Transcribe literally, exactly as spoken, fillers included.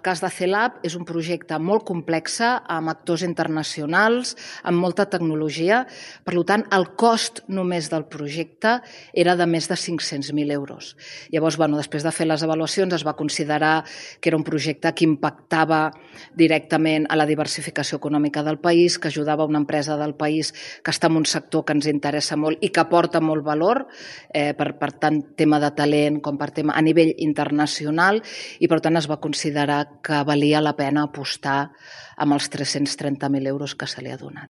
El cas de CELAB és un projecte molt complex, amb actors internacionals, amb molta tecnologia. Per tant, el cost només del projecte era de més de cinc-cents mil euros. Llavors, bueno, després de fer les avaluacions, es va considerar que era un projecte que impactava directament a la diversificació econòmica del país, que ajudava una empresa del país que està en un sector que ens interessa molt i que aporta molt valor, eh, per, per tant, tema de talent com per tema a nivell internacional, i per tant es va considerar que valia la pena apostar amb els tres-cents trenta mil euros que se li ha donat.